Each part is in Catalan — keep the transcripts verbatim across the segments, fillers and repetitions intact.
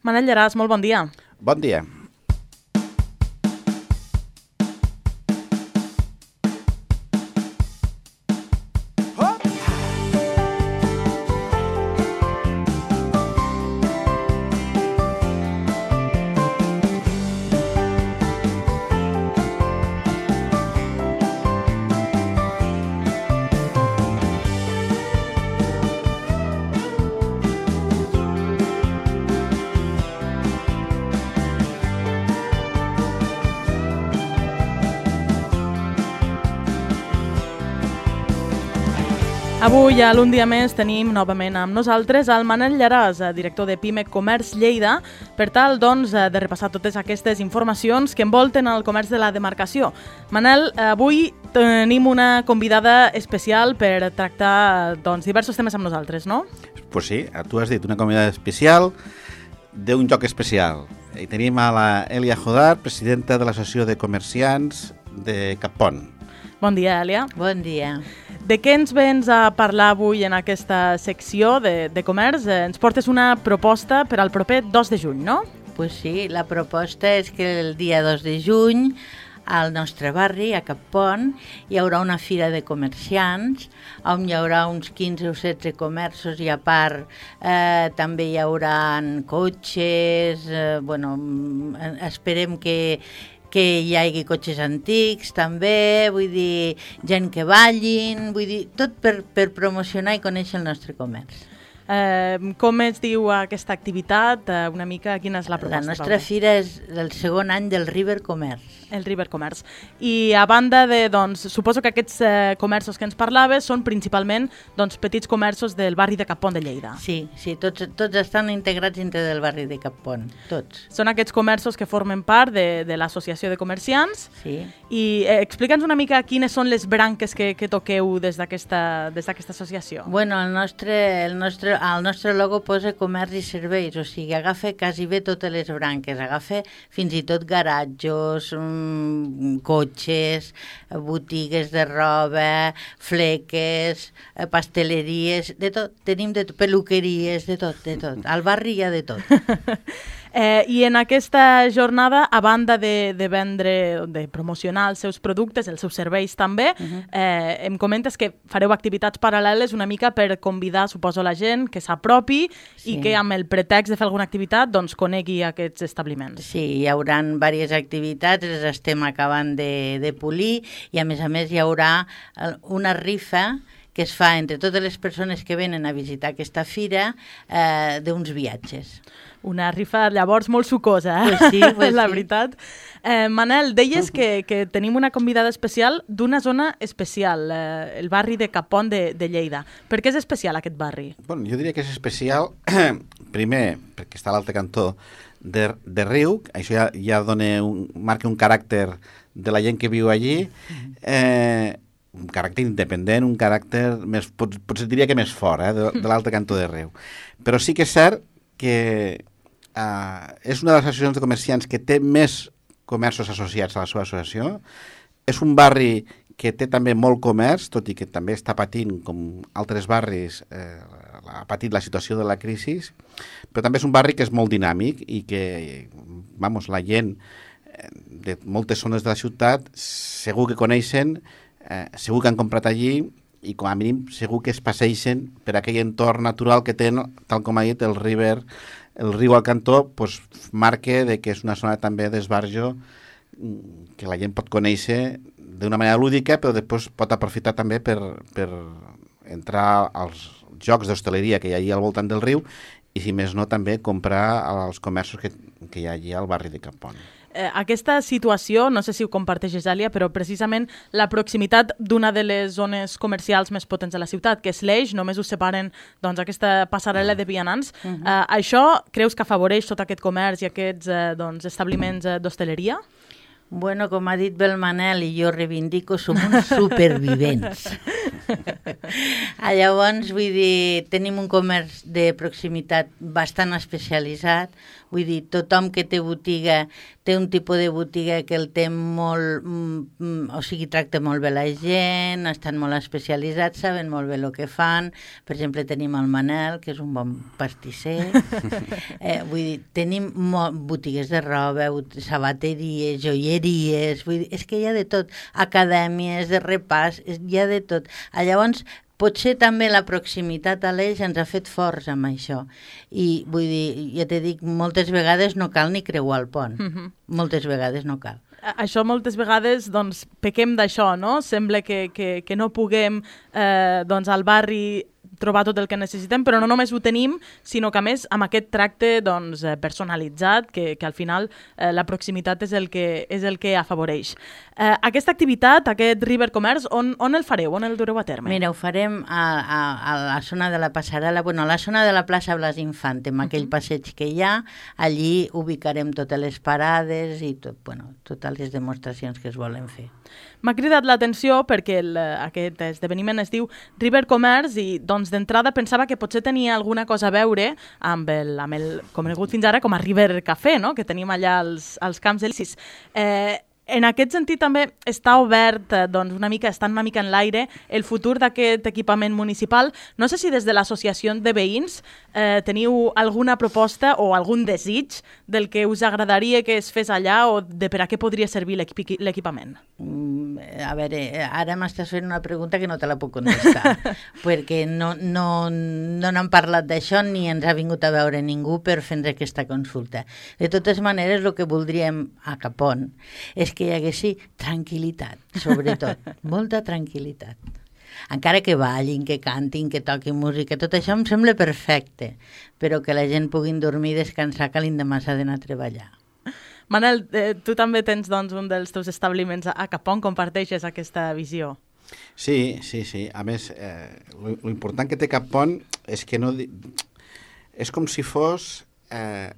Manel Llaràs, molt bon dia. Bon dia. Avui, a l'Un dia més, tenim novament amb nosaltres el Manel Llaràs, director de Pimec Comerç Lleida, per tal doncs, de repassar totes aquestes informacions que envolten el comerç de la demarcació. Manel, avui tenim una convidada especial per tractar doncs, diversos temes amb nosaltres, no? Pues sí, tu has dit una convidada especial d'un joc especial. I tenim a la Èlia Jodar, presidenta de l'Associació de Comerciants de Cappont. Bon dia, Èlia. Bon dia. De què ens vens a parlar avui en aquesta secció de, de comerç? Ens portes una proposta per al proper dos de juny, no? Pues sí, la proposta és que el dia dos de juny al nostre barri, a Cappont, hi haurà una fira de comerciants on hi haurà uns quinze o setze comerços i a part eh, també hi haurà cotxes, eh, bueno, esperem que que hi hagi cotxes antics també, vull dir, gent que ballin, vull dir, tot per, per promocionar i conèixer el nostre comerç. Eh, com es diu aquesta activitat? Eh, una mica, quina és la proposta? La nostra fira és el segon any del River Comerç. El River Comerç. I a banda de, doncs, suposo que aquests eh, comerços que ens parlaves són principalment doncs, petits comerços del barri de Cappont de Lleida. Sí, sí, tots, tots estan integrats dintre del barri de Cappont, tots. Són aquests comerços que formen part de, de l'associació de comerciants. Sí. I eh, explica'ns una mica quines són les branques que, que toqueu des d'aquesta des d'aquesta associació. Bueno, el nostre, el nostre, el nostre logo posa comerç i serveis, o sigui, agafa quasi bé totes les branques, agafa fins i tot garatjos, cotxes, botigues de roba, fleques, pasteleries, de tot, tenim de tot, peluqueries, de tot, de tot. Al barri hi ha de tot. Eh, I en aquesta jornada, a banda de, de vendre, de promocionar els seus productes, els seus serveis també, uh-huh. eh, em comentes que fareu activitats paral·leles una mica per convidar, suposo, la gent que s'apropi sí. i que amb el pretext de fer alguna activitat doncs conegui aquests establiments. Sí, hi haurà diverses activitats, les estem acabant de, de polir i a més a més hi haurà una rifa que es fa entre totes les persones que venen a visitar aquesta fira eh, d'uns viatges. Una rifa, llavors, molt sucosa, eh? Pues sí, pues la sí. veritat. Eh, Manel, deies que, que tenim una convidada especial d'una zona especial, eh, el barri de Cappont de, de Lleida. Per què és especial aquest barri? Bueno, jo diria que és especial, primer, perquè està a l'altre cantó de, de riu, això ja, ja dona un, marca un caràcter de la gent que viu allí, eh, un caràcter independent, un caràcter més, pot, potser diria que més fort, eh, de, de l'altre cantó de riu. Però sí que és cert que uh, és una de les associacions de comerciants que té més comerços associats a la seva associació. És un barri que té també molt comerç, tot i que també està patint, com altres barris, eh, ha patit la situació de la crisi, però també és un barri que és molt dinàmic i que, vamos, la gent de moltes zones de la ciutat segur que coneixen, eh, segur que han comprat allí i com a mínim segur que es passeixen per aquell entorn natural que tenen, tal com ha dit, el river, el riu al cantó, pues, marca de que és una zona també d'esbarjo que la gent pot conèixer d'una manera lúdica, però després pot aprofitar també per, per entrar als jocs d'hostaleria que hi ha allí al voltant del riu i, si més no, també comprar als comerços que, que hi ha allí al barri de Cappont. Eh, aquesta situació, no sé si ho comparteixes, Èlia, però precisament la proximitat d'una de les zones comercials més potents de la ciutat, que és l'Eix, només us separen doncs, aquesta passarel·la de vianants. Uh-huh. eh, això creus que afavoreix tot aquest comerç i aquests eh, doncs, establiments eh, d'hostaleria? Bueno, com ha dit bé el Manel i jo reivindico, som uns supervivents. Llavors, vull dir, tenim un comerç de proximitat bastant especialitzat, vull dir, tothom que té botiga té un tipus de botiga que el té molt, mm, o sigui, tracta molt bé la gent, estan molt especialitzats, saben molt bé el que fan. Per exemple, tenim el Manel, que és un bon pastisser. eh, vull dir, tenim botigues de roba, sabateries, joieries, vull dir, és que hi ha de tot, acadèmies de repàs, hi ha de tot. Llavors, potser també la proximitat a l'Eix ens ha fet forts amb això. I vull dir, ja t'he dit, moltes vegades no cal ni creuar el pont. Uh-huh. Moltes vegades no cal. Això moltes vegades, doncs, pequem d'això, no? Sembla que, que, que no puguem, eh, doncs, al barri trobar tot el que necessitem, però no només ho tenim, sinó que a més amb aquest tracte doncs, personalitzat, que, que al final eh, la proximitat és el que, és el que afavoreix. Eh, aquesta activitat, aquest River Commerce, on, on el fareu? On el dureu a terme? Mira, ho farem a, a, a la zona de la passarel·la, bueno, a la zona de la plaça Blas Infante, amb aquell passeig que hi ha, allí ubicarem totes les parades i tot, bueno, totes les demostracions que es volen fer. M'ha cridat l'atenció perquè el, aquest esdeveniment es diu River Commerce i doncs d'entrada pensava que potser tenia alguna cosa a veure amb el, amb el conegut fins ara com a River Café, no? Que tenim allà als, als Camps Elisis. Eh, En aquest sentit també està obert, doncs una mica, està una mica en l'aire el futur d'aquest equipament municipal. No sé si des de l'associació de veïns eh, teniu alguna proposta o algun desig del que us agradaria que es fes allà o de per a què podria servir l'equipament. Mm, a veure, ara m'estàs fent una pregunta que no te la puc contestar, perquè no, no, no n'han parlat d'això ni ens ha vingut a veure ningú per fer aquesta consulta. De totes maneres, el que voldríem a Capon és que hi haguessi tranquil·litat, sobretot, molta tranquil·litat. Encara que ballin, que cantin, que toquin música, tot això em sembla perfecte, però que la gent puguin dormir i descansar que l'endemà s'ha d'anar a treballar. Manel, eh, tu també tens doncs, un dels teus establiments a Capon, comparteixes aquesta visió? Sí, sí, sí. A més, eh, l'important que té Capon és que no... És com si fos eh,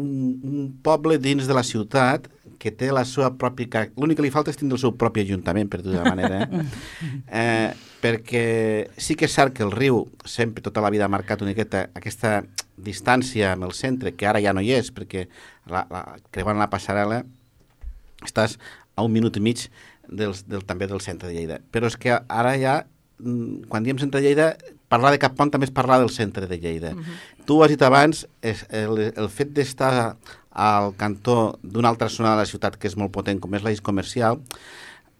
un, un poble dins de la ciutat que té la seva pròpia... L'únic que li falta és tindre el seu propi ajuntament, per dir d'una manera. Eh? eh, perquè sí que és cert que el riu sempre tota la vida ha marcat una miqueta aquesta distància amb el centre, que ara ja no hi és, perquè la, la, creuant la passarel·la estàs a un minut i mig del, del, també del centre de Lleida. Però és que ara ja, quan diem centre de Lleida, parlar de Capon també és parlar del centre de Lleida. Uh-huh. Tu ho has dit abans, és el, el fet d'estar al cantó d'una altra zona de la ciutat que és molt potent, com és l'eix comercial,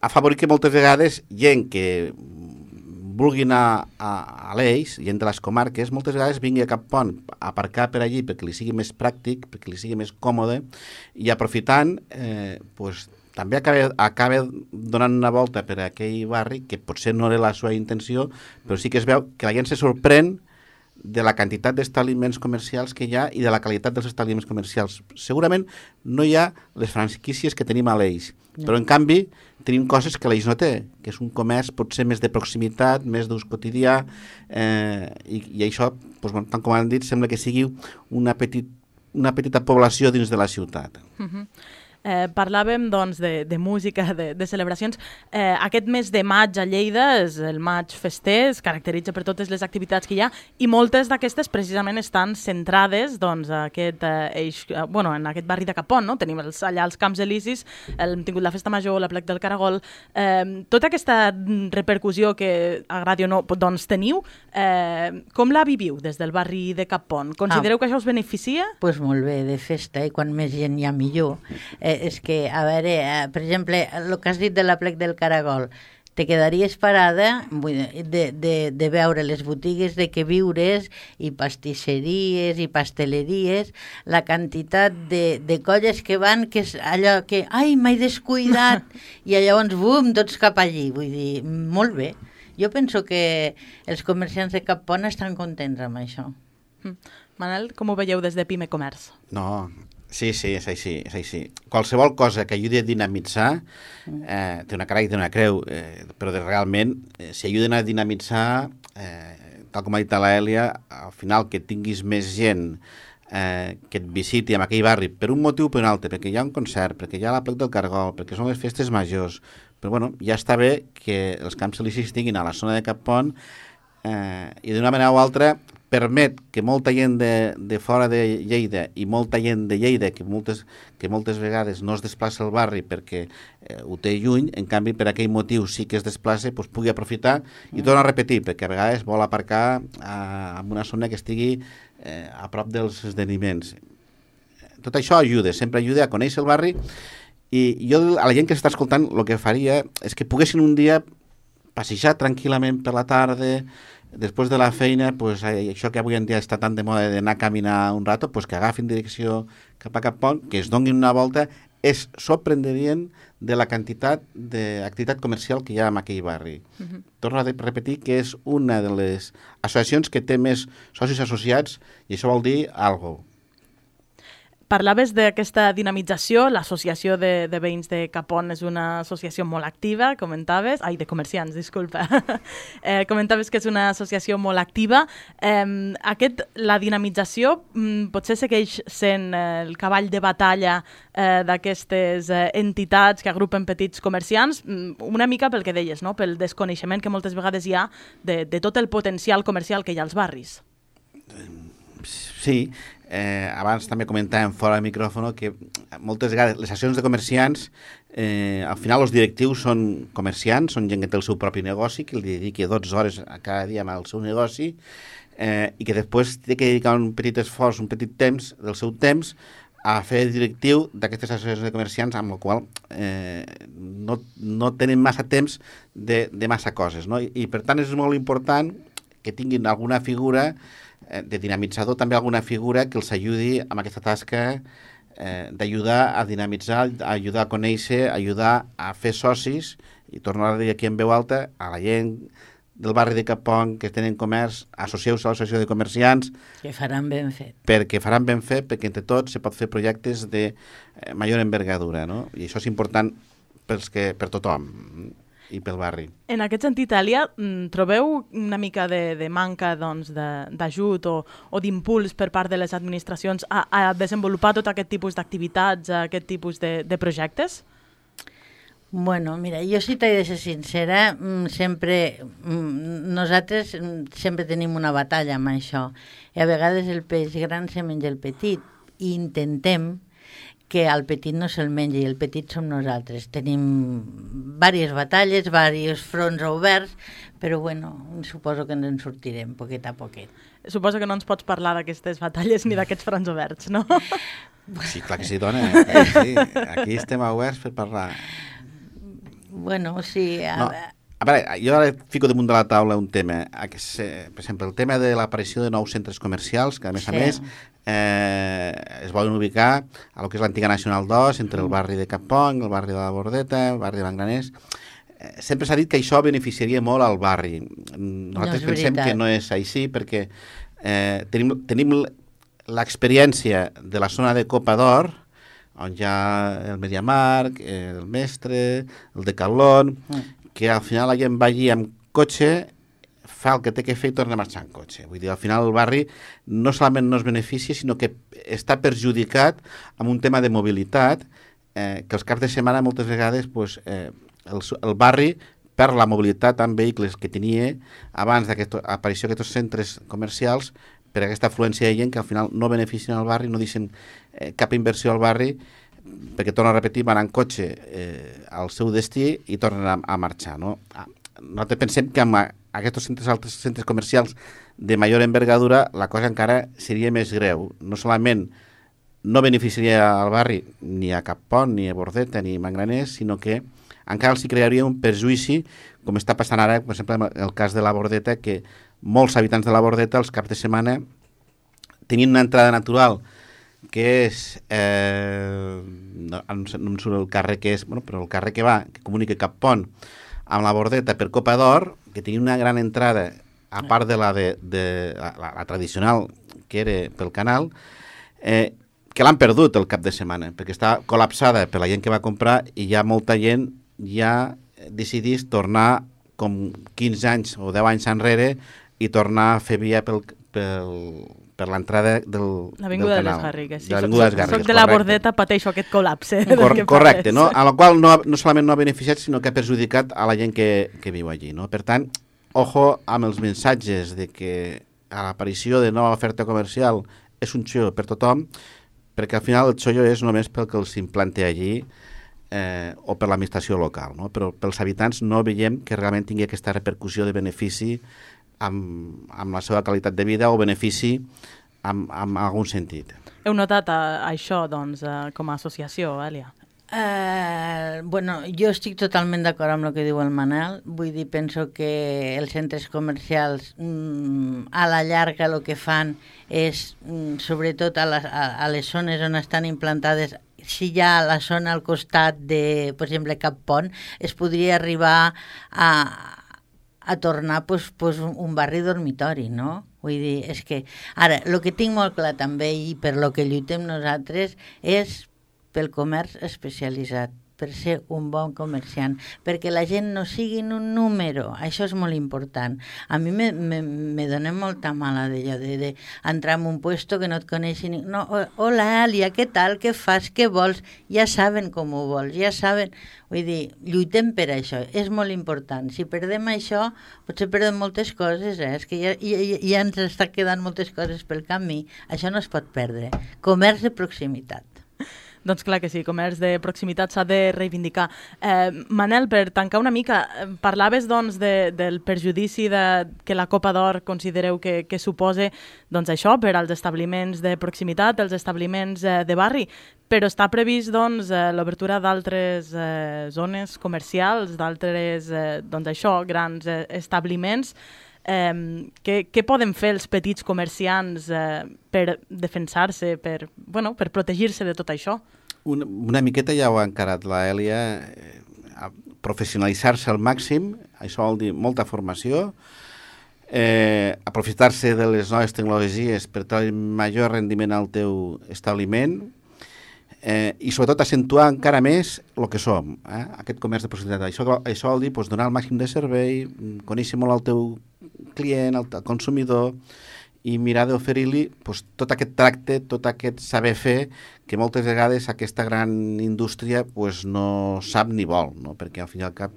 ha favorit que moltes vegades gent que vulgui anar a, a l'eix, gent de les comarques, moltes vegades vingui a Capon a aparcar per allí perquè li sigui més pràctic, perquè li sigui més còmode, i aprofitant, eh, pues, també acaba, acaba donant una volta per a aquell barri, que potser no era la seva intenció, però sí que es veu que la gent se sorprèn de la quantitat d'establiments comercials que hi ha i de la qualitat dels establiments comercials. Segurament no hi ha les franquícies que tenim a l'Eix, no. Però en canvi tenim coses que l'Eix no té, que és un comerç potser més de proximitat, més d'ús quotidià, eh, i, i això, doncs, bueno, tant com han dit, sembla que sigui una, petit, una petita població dins de la ciutat. Uh-huh. Eh, parlàvem doncs, de, de música, de, de celebracions. Eh, aquest mes de maig a Lleida és el maig fester, es caracteritza per totes les activitats que hi ha i moltes d'aquestes precisament estan centrades doncs, a aquest, eh, eix, eh, bueno, en aquest barri de Capon. No? Tenim els, allà els Camps Elisis, el, hem tingut la Festa Major, la Plec del Caragol. Eh, tota aquesta repercussió que agradi o no doncs, teniu, eh, com la viviu des del barri de Capon? Considereu ah, que això us beneficia? Doncs pues molt bé, de festa, i quan més gent hi ha millor. Eh, és que, a veure, eh, per exemple, el que has dit de la Plec del Caragol, te quedaries parada de, de, de veure les botigues de queviures i pastisseries i pasteleries, la quantitat de, de colles que van, que és allò que, ai, m'he descuidat, i llavors, bum, tots cap allí. Vull dir, molt bé. Jo penso que els comerciants de Capon estan contents amb això. Manel, com ho veieu des de Pime Comerç? No, sí, sí, és així, és així. Qualsevol cosa que ajudi a dinamitzar, eh, té una cara i té una creu, eh, però de, realment, eh, si ajuden a dinamitzar, eh, tal com ha dit l'Èlia, al final que tinguis més gent eh, que et visiti en aquell barri per un motiu o per un altre, perquè hi ha un concert, perquè hi ha la plec del Cargol, perquè són les festes majors, però bueno, ja està bé que els camps elisis estiguin a la zona de Cap Pont eh, i d'una manera o altra permet que molta gent de, de fora de Lleida i molta gent de Lleida que moltes, que moltes vegades no es desplaça al barri perquè eh, ho té lluny, en canvi per aquell motiu sí que es desplaça, doncs pugui aprofitar i torno a repetir, perquè a vegades vol aparcar a, en una zona que estigui eh, a prop dels esdeveniments. Tot això ajuda, sempre ajuda a conèixer el barri i jo a la gent que s'està escoltant el que faria és que poguessin un dia passejar tranquil·lament per la tarda, després de la feina, pues, això que avui en dia està tan de moda d'anar a caminar un rato, pues, que agafin direcció cap a Cap Pont, que es donin una volta, és sorprenent de la quantitat d'activitat comercial que hi ha en aquell barri. Uh-huh. Torno a repetir que és una de les associacions que té més socis associats i això vol dir alguna cosa. Parlaves d'aquesta dinamització, l'associació de, de veïns de Cap Pont és una associació molt activa, comentaves, ai, de comerciants, disculpa, eh, comentaves que és una associació molt activa. Eh, aquest, la dinamització mm, potser segueix sent eh, el cavall de batalla eh, d'aquestes eh, entitats que agrupen petits comerciants, mm, una mica pel que deies, no? Pel desconeixement que moltes vegades hi ha de, de tot el potencial comercial que hi ha als barris. Sí, eh, abans també comentàvem fora del micròfon que moltes vegades les associacions de comerciants, eh, al final els directius són comerciants, són gent que té el seu propi negoci, que li dediqui dotze hores a cada dia al seu negoci eh, i que després té que dedicar un petit esforç, un petit temps del seu temps a fer directiu d'aquestes associacions de comerciants, amb la qual eh, no, no tenen massa temps de, de massa coses, no? I, i per tant és molt important que tinguin alguna figura de dinamitzador, també alguna figura que els ajudi amb aquesta tasca eh, d'ajudar a dinamitzar, a ajudar a conèixer, a ajudar a fer socis, i torno a dir aquí en veu alta, a la gent del barri de Cap Pont que tenen comerç, associeu-vos a l'associació de comerciants. Que faran ben fet. Perquè faran ben fet, perquè entre tots se pot fer projectes de eh, major envergadura, no? I això és important pels que, per tothom i pel barri. En aquest sentit, Èlia, trobeu una mica de, de manca doncs, d'ajut o, o d'impuls per part de les administracions a, a desenvolupar tot aquest tipus d'activitats, aquest tipus de, de projectes? Bueno, mira, jo si t'he de ser sincera, sempre, nosaltres sempre tenim una batalla amb això. I a vegades el peix gran se menja el petit i intentem que el petit no se'l mengi, i el petit som nosaltres. Tenim diverses batalles, diversos fronts oberts, però bueno, suposo que ens en sortirem poquet a poquet. Suposo que no ens pots parlar d'aquestes batalles ni d'aquests fronts oberts, no? Sí, clar que sí, dona. Sí, aquí estem oberts per parlar. Bueno, sí... A... No. A veure, jo ara fico damunt de la taula un tema, per exemple, el tema de l'aparició de nous centres comercials, que a més sí. a més eh, es volen ubicar a lo que és l'antiga Nacional dos, entre el barri de Cap Pont, el barri de la Bordeta, el barri de Mangraners. Eh, sempre s'ha dit que això beneficiaria molt al barri. Nosaltres no pensem que no és així, perquè eh, tenim, tenim l'experiència de la zona de Copa d'Or, on hi ha el Mediamarkt, el Mestre, el Decathlon... Mm. que al final la gent va allí amb cotxe, fa el que té que fer i torna a marxar en cotxe. Vull dir, al final el barri no solament no es beneficia, sinó que està perjudicat amb un tema de mobilitat, eh, que els caps de setmana moltes vegades pues, eh, el, el barri perd la mobilitat amb vehicles que tenia abans d'aquesta aparició d'aquests centres comercials per aquesta afluència de gent que al final no beneficien el barri, no deixen eh, cap inversió al barri, perquè torno a repetir, van en cotxe eh, al seu destí i tornen a, a marxar. No? Nosaltres pensem que amb aquests centres, altres centres comercials de major envergadura la cosa encara seria més greu. No solament no beneficiaria al barri ni a Cap Pont, ni a Bordeta, ni a Mangraners, sinó que encara els crearia un perjuïci, com està passant ara, per exemple, en el cas de la Bordeta, que molts habitants de la Bordeta els caps de setmana tenien una entrada natural que és, eh, no, no em surt el carrer que és, bueno, però el carrer que va, que comunica Cap Pont amb la Bordeta per Copa d'Or, que tenia una gran entrada, a part de la, de, de, la, la, la tradicional que era pel canal, eh, que l'han perdut el cap de setmana, perquè està col·lapsada per la gent que va comprar i ja molta gent ja decidís tornar com quinze anys o deu anys enrere i tornar a fer via pel, pel, per l'entrada del, L'avinguda del de les canal. Garrigues. Sí, de l'Avinguda de les Garrigues, soc de la correcte. Bordeta, pateixo aquest col·lapse. Cor del que correcte, parles. no? A la qual no, no solament no ha beneficiat, sinó que ha perjudicat a la gent que, que viu allí, no? Per tant, ojo amb els missatges de que a l'aparició de nova oferta comercial és un xollo per tothom, perquè al final el xollo és només pel que els implante allí eh, o per l'administració local, no? Però pels habitants no veiem que realment tingui aquesta repercussió de benefici amb, amb la seva qualitat de vida o benefici amb, amb algun sentit. Heu notat uh, això, doncs, uh, com a associació, Èlia? Uh, bueno, jo estic totalment d'acord amb el que diu el Manel. Vull dir, penso que els centres comercials mm, a la llarga el que fan és, mm, sobretot a, la, a, a les zones on estan implantades, si hi ha la zona al costat de, per exemple, Cap Pont, es podria arribar a, a tornar pues, pues, un, un barri dormitori, no? Vull dir, és que... Ara, el que tinc molt clar també, i per lo que lluitem nosaltres, és pel comerç especialitzat, per ser un bon comerciant, perquè la gent no sigui un número, això és molt important. A mi me, me, me dona molta mala d'allò, de, de entrar en un puesto que no et coneixi ningú. No, hola, Èlia, què tal, què fas, què vols? Ja saben com ho vols, ja saben... Vull dir, lluitem per això, és molt important. Si perdem això, potser perdem moltes coses, eh? És que ja, ja, ja ens està quedant moltes coses pel camí. Això no es pot perdre. Comerç de proximitat. Doncs clar que sí, comerç de proximitat s'ha de reivindicar. Eh, Manel, per tancar una mica, parlaves doncs, de, del perjudici de, que la Copa d'Or considereu que, que suposa doncs, això per als establiments de proximitat, els establiments eh, de barri, però està previst doncs, eh, l'obertura d'altres eh, zones comercials, d'altres eh, doncs, això, grans eh, establiments. Eh, què, què poden fer els petits comerciants eh, per defensar-se, per, bueno, per protegir-se de tot això? Una, una miqueta ja ho ha encarat la Èlia, eh, a professionalitzar-se al màxim, això vol dir molta formació, eh, aprofitar-se de les noves tecnologies per treure major rendiment al teu establiment, eh, i sobretot accentuar encara més el que som, eh? Aquest comerç de proximitat. Això, això vol dir pues, donar el màxim de servei, conèixer molt el teu client, el, el consumidor, i mirar d'oferir-li pues, tot aquest tracte, tot aquest saber fer, que moltes vegades aquesta gran indústria pues, no sap ni vol, no? Perquè al fin i al cap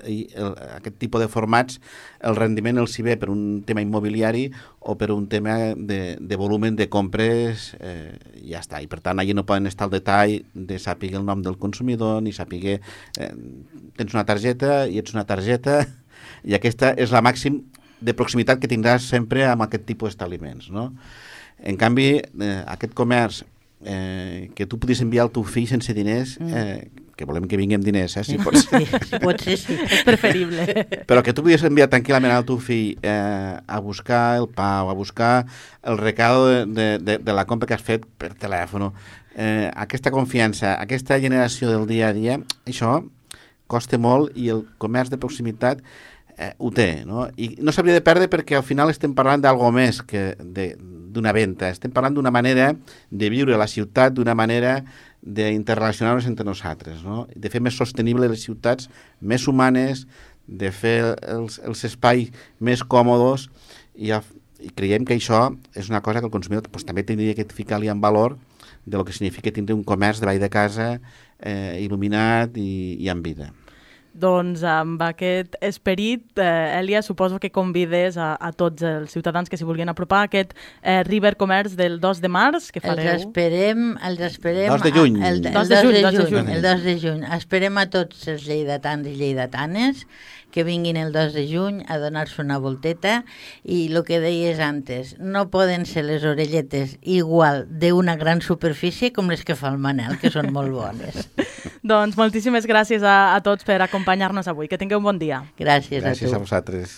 i el, aquest tipus de formats el rendiment els hi ve per un tema immobiliari o per un tema de, de volumen de compres, eh, ja està. I per tant, allà no poden estar al detall de saber el nom del consumidor, ni saber eh, tens una targeta i ets una targeta, i aquesta és la màxim de proximitat que tindràs sempre amb aquest tipus d'establiments, no? En canvi, eh, aquest comerç eh, que tu podis enviar el teu fill sense diners, eh, que volem que vinguem diners, eh, si pot ser. Sí, si pot ser, sí. És preferible. Però que tu podies enviar tranquil·lament al teu fill eh, a buscar el pa o a buscar el recado de, de, de, de la compra que has fet per telèfon. Eh, aquesta confiança, aquesta generació del dia a dia, això costa molt i el comerç de proximitat eh, ho té, no? I no s'hauria de perdre perquè al final estem parlant d'algo més que d'una venda. Estem parlant d'una manera de viure a la ciutat, d'una manera d'interrelacionar-nos entre nosaltres, no? De fer més sostenible les ciutats, més humanes, de fer els, els espais més còmodes, i, i creiem que això és una cosa que el consumidor pues, també tindria que ficar-li en valor de lo que significa tindre un comerç de vall de casa eh, il·luminat i, i amb vida. Doncs amb aquest esperit, eh, Èlia, suposo que convides a, a tots els ciutadans que s'hi vulguin apropar a aquest eh, River Comerç del dos de març que fareu. Els esperem, els esperem... dos de juny. El, el, el, dos de juny, dos de juny, el dos de juny. Esperem a tots els lleidatans i lleidatanes que vinguin el dos de juny a donar-se una volteta, i el que deies antes, no poden ser les orelletes igual d'una gran superfície com les que fa el Manel, que són molt bones. Doncs moltíssimes gràcies a, a tots per acompanyar-nos avui. Que tingueu un bon dia. Gràcies, Gràcies a tu. a vosaltres.